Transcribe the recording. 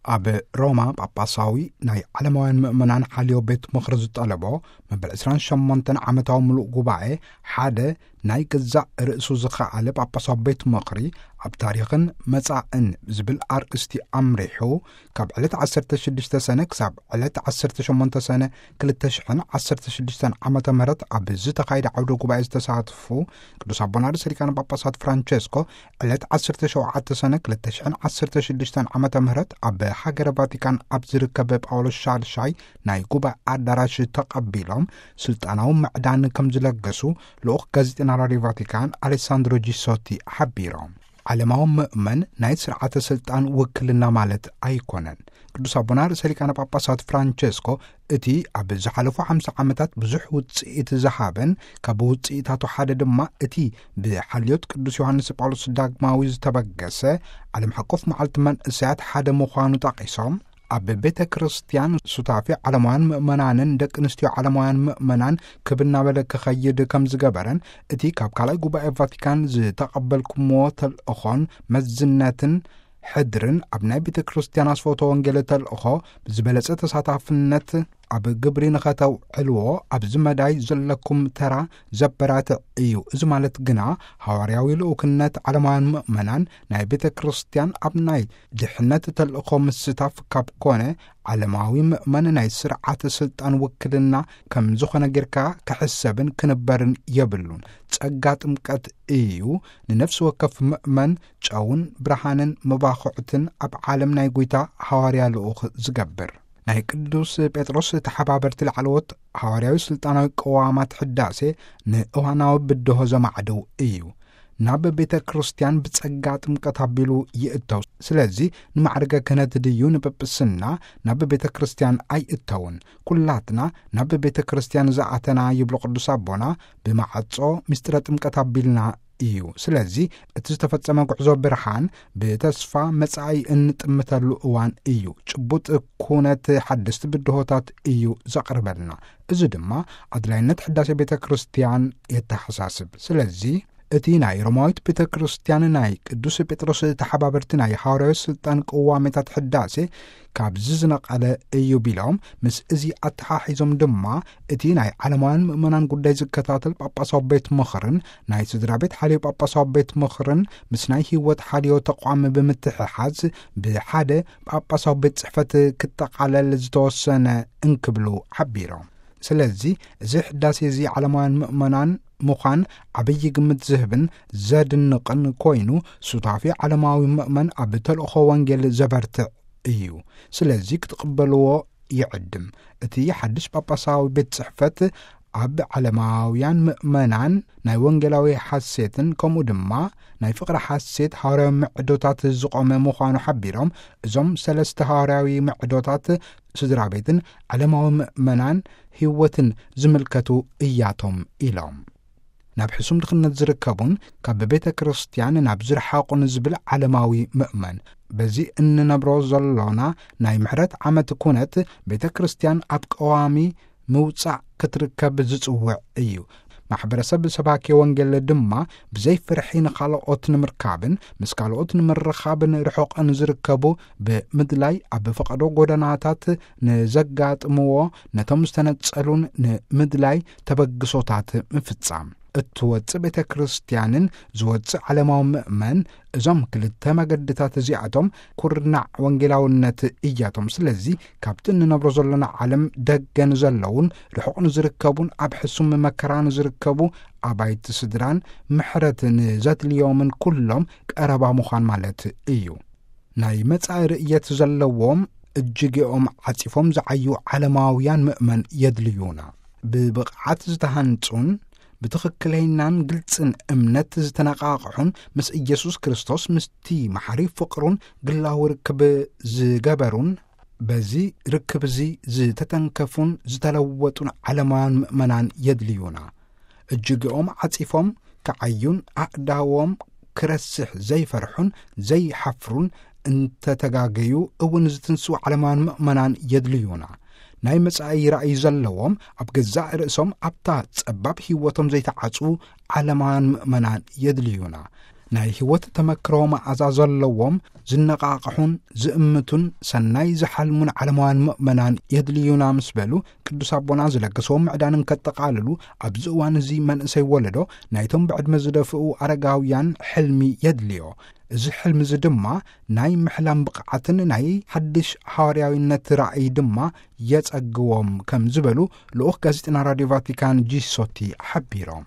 ኣብ ሮማ ጳጳሳዊ ናይ ዓለማውያን ምእመናን ሓልዮ ቤት ምኽሪ ዝጠለቦ መበል ዕስራን ሸሞንተን ዓመታዊ ምሉእ ጉባኤ፣ ሓደ ናይ ገዛእ ርእሱ ዝኸኣለ ጳጳሳዊ ቤት ምኽሪ ኣብ ታሪኽን መጻእን ዝብል ኣርእስቲ ኣምሪሑ፣ ካብ ዕለት ዓሰርተ ሽዱሽተ ሰነ ክሳብ ዕለት ዓሰርተ ሸሞንተ ሰነ ክልተ ሽሕን ዓሰርተ ሽዱሽተን ዓመተ ምህረት ኣብ ዝተኻየደ ዓውደ ጉባኤ ዝተሳትፉ ቅዱስ ኣቦና ርእሰ ሊቃነ ጳጳሳት ፍራንቸስኮ፣ ዕለት ዓሰርተ ሸውዓተ ሰነ ክልተ ሽሕን ዓሰርተ ሽዱሽተን ዓመተ ምህረት ኣብ ሃገረ ቫቲካን ኣብ ዝርከብ ጳውሎስ ሻድሻይ ናይ ጉባኤ ኣዳራሽ ተቐቢሎም ስልጣናዊ ምዕዳን ከም ዝለገሱ ልኡኽ ጋዜጠና ራድዮ ቫቲካን ኣሌሳንድሮ ጂሶቲ ሓቢሮም። ዓለማዊ ምእመን ናይ ስርዓተ ስልጣን ውክልና ማለት ኣይኮነን። ቅዱስ ኣቦና ርእሰ ሊቃነ ጳጳሳት ፍራንቸስኮ፣ እቲ ኣብ ዝሓለፉ ሓምሳ ዓመታት ብዙሕ ውጽኢት ዝሃበን፣ ካብ ውጽኢታቱ ሓደ ድማ እቲ ብሓልዮት ቅዱስ ዮሃንስ ጳውሎስ ዳግማዊ ዝተበገሰ ዓለም ሓቆፍ መዓልቲ መንእሰያት ሓደ ምዃኑ ጠቒሶም፣ ኣብ ቤተ ክርስቲያን ሱታፌ ዓለማውያን ምእመናንን ደቂ ኣንስትዮ ዓለማውያን ምእመናን ክብ እናበለ ክኸይድ ከም ዝገበረን፣ እቲ ካብ ካልኣይ ጉባኤ ቫቲካን ዝተቐበልኩምዎ ተልእኾን መዝነትን ሕድርን ኣብ ናይ ቤተ ክርስቲያን ኣስፈውቶ ወንጌል ተልእኾ ብዝበለጸ ተሳታፍነት ኣብ ግብሪ ንኸተውዕልዎ ኣብዚ መዳይ ዘለኩም ተራ ዘበራትዕ እዩ። እዚ ማለት ግና ሃዋርያዊ ልኡክነት ዓለማውያን ምእመናን ናይ ቤተ ክርስቲያን ኣብ ናይ ድሕነት ተልእኾ ምስታፍ ካብ ኮነ፣ ዓለማዊ ምእመን ናይ ስርዓተ ስልጣን ውክልና ከም ዝኾነ ጌርካ ክሕሰብን ክንበርን የብሉን። ጸጋ ጥምቀት እዩ ንነፍሲ ወከፍ ምእመን ጨውን ብርሃንን መባኹዕትን ኣብ ዓለም ናይ ጐይታ ሃዋርያ ልኡኽ ዝገብር። ናይ ቅዱስ ጴጥሮስ ተሓባበርቲ ላዕለዎት ሃዋርያዊ ስልጣናዊ ቅዋማት ሕዳሴ ንእዋናዊ ብድሆ ዘማዕድው እዩ። ናብ ቤተ ክርስቲያን ብጸጋ ጥምቀት ኣቢሉ ይእተው። ስለዚ ንማዕርገ ክህነት ድዩ ንጵጵስና ናብ ቤተ ክርስቲያን ኣይእተውን። ኩላትና ናብ ቤተ ክርስቲያን ዝኣተና፣ ይብሉ ቅዱስ ኣቦና፣ ብማዕጾ ምስጢረ ጥምቀት ኣቢልና እዩ። ስለዚ እቲ ዝተፈጸመ ጉዕዞ ብርሃን ብተስፋ መጻኢ እንጥምተሉ እዋን እዩ። ጭቡጥ ኩነት ሓደስቲ ብድሆታት እዩ ዘቕርበልና። እዚ ድማ ኣድላይነት ሕዳሴ ቤተ ክርስቲያን የተሓሳስብ። ስለዚ እቲ ናይ ሮማዊት ቤተ ክርስቲያን ናይ ቅዱስ ጴጥሮስ ተሓባበርቲ ናይ ሃዋርያዊ ስልጣን ቅዋሜታት ሕዳሴ ካብዚ ዝነቐለ እዩ ቢሎም፣ ምስ እዚ ኣተሓሒዞም ድማ እቲ ናይ ዓለማውያን ምእመናን ጉዳይ ዝከታተል ጳጳሳዊ ቤት ምኽርን ናይ ስድራ ቤት ሓልዮ ጳጳሳዊ ቤት ምኽርን ምስ ናይ ህይወት ሓልዮ ተቋም ብምትሕሓዝ ብሓደ ጳጳሳዊ ቤት ጽሕፈት ክጠቓለል ዝተወሰነ እንክብሉ ሓቢሮም። ስለዚ እዚ ሕዳሴ እዚ ዓለማውያን ምእመናን ምዃን ዓብዪ ግምት ዝህብን ዘድንቕን ኮይኑ፣ ሱታፌ ዓለማዊ ምእመን ኣብ ተልእኾ ወንጌል ዘበርትዕ እዩ። ስለዚ ክትቕበልዎ ይዕድም። እቲ ሓድሽ ጳጳሳዊ ቤት ጽሕፈት ኣብ ዓለማውያን ምእመናን ናይ ወንጌላዊ ሓሴትን ከምኡ ድማ ናይ ፍቕሪ ሓሴት ሃዋርያዊ ምዕዶታት ዝቖመ ምዃኑ ሓቢሮም፣ እዞም ሰለስተ ሃዋርያዊ ምዕዶታት ስድራ ቤትን ዓለማዊ ምእመናን ህይወትን ዝምልከቱ እያቶም ኢሎም። ናብ ሕሱም ድኽነት ዝርከቡን ካብ ቤተ ክርስቲያን ናብ ዝረሓቑን ዝብል ዓለማዊ ምእመን፣ በዚ እንነብሮ ዘሎና ናይ ምሕረት ዓመት ኩነት ቤተ ክርስቲያን ኣብ ቀዋሚ ምውጻእ ክትርከብ ዝጽውዕ እዩ። ማሕበረሰብ ሰባኪ ወንጌል ድማ ብዘይ ፍርሒ ንኻልኦት ንምርካብን ምስ ካልኦት ንምርኻብን ርሑቕ ንዝርከቡ ብምድላይ፣ ኣብ ፈቐዶ ጎደናታት ንዘጋጥምዎ፣ ነቶም ዝተነጸሉን ንምድላይ ተበግሶታት ምፍጻም። እትወጽእ ቤተ ክርስቲያንን ዝወጽእ ዓለማዊ ምእመን፣ እዞም ክልተ መገድታት እዚኣቶም ኩርናዕ ወንጌላውነት እያቶም። ስለዚ ካብቲ እንነብሮ ዘሎና ዓለም ደገ ንዘለዉን ርሑቕ ንዝርከቡን ኣብ ሕሱም መከራ ንዝርከቡ ኣባይቲ ስድራን ምሕረት ንዘድልዮምን ኩሎም ቀረባ ምዃን ማለት እዩ። ናይ መጻኢ ርእየት ዘለዎም እጅጌኦም ዓጺፎም ዝዓዩ ዓለማውያን ምእመን የድልዩና። ብብቕዓት ዝተሃንጹን ብትኽክለይናን ግልጽን እምነት ዝተነቓቕሑን ምስ ኢየሱስ ክርስቶስ ምስቲ መሓሪ ፍቕሩን ግላዊ ርክብ ዝገበሩን በዚ ርክብ እዚ ዝተተንከፉን ዝተለወጡን ዓለማውያን ምእመናን የድልዩና። እጅግኦም ዓጺፎም ክዓዩን ኣእዳዎም ክረስሕ ዘይፈርሑን ዘይሓፍሩን እንተተጋገዩ እውን ዝትንስኡ ዓለማውያን ምእመናን የድልዩና። ናይ መጻኢ ራእይ ዘለዎም ኣብ ገዛእ ርእሶም ኣብታ ጸባብ ህይወቶም ዘይተዓጹ ዓለማውያን ምእመናን የድልዩና። ናይ ሕይወት ተመክሮ መዓዛ ዘለዎም፣ ዝነቓቕሑን ዝእምቱን፣ ሰናይ ዝሓልሙን ዓለማውያን ምእመናን የድልዩና ምስ በሉ፣ ቅዱስ ኣቦና ዝለገስዎም ምዕዳን እንከጠቓልሉ፣ ኣብዚ እዋን እዚ መንእሰይ ወለዶ ናይቶም ብዕድመ ዝደፍኡ ኣረጋውያን ሕልሚ የድልዮ። እዚ ሕልሚ እዚ ድማ ናይ ምሕላም ብቕዓትን ናይ ሓድሽ ሃዋርያዊነት ራእይ ድማ የጸግዎም ከም ዝበሉ ልኡኽ ጋዜጠና ራድዮ ቫቲካን ጂሶቲ ሓቢሮም።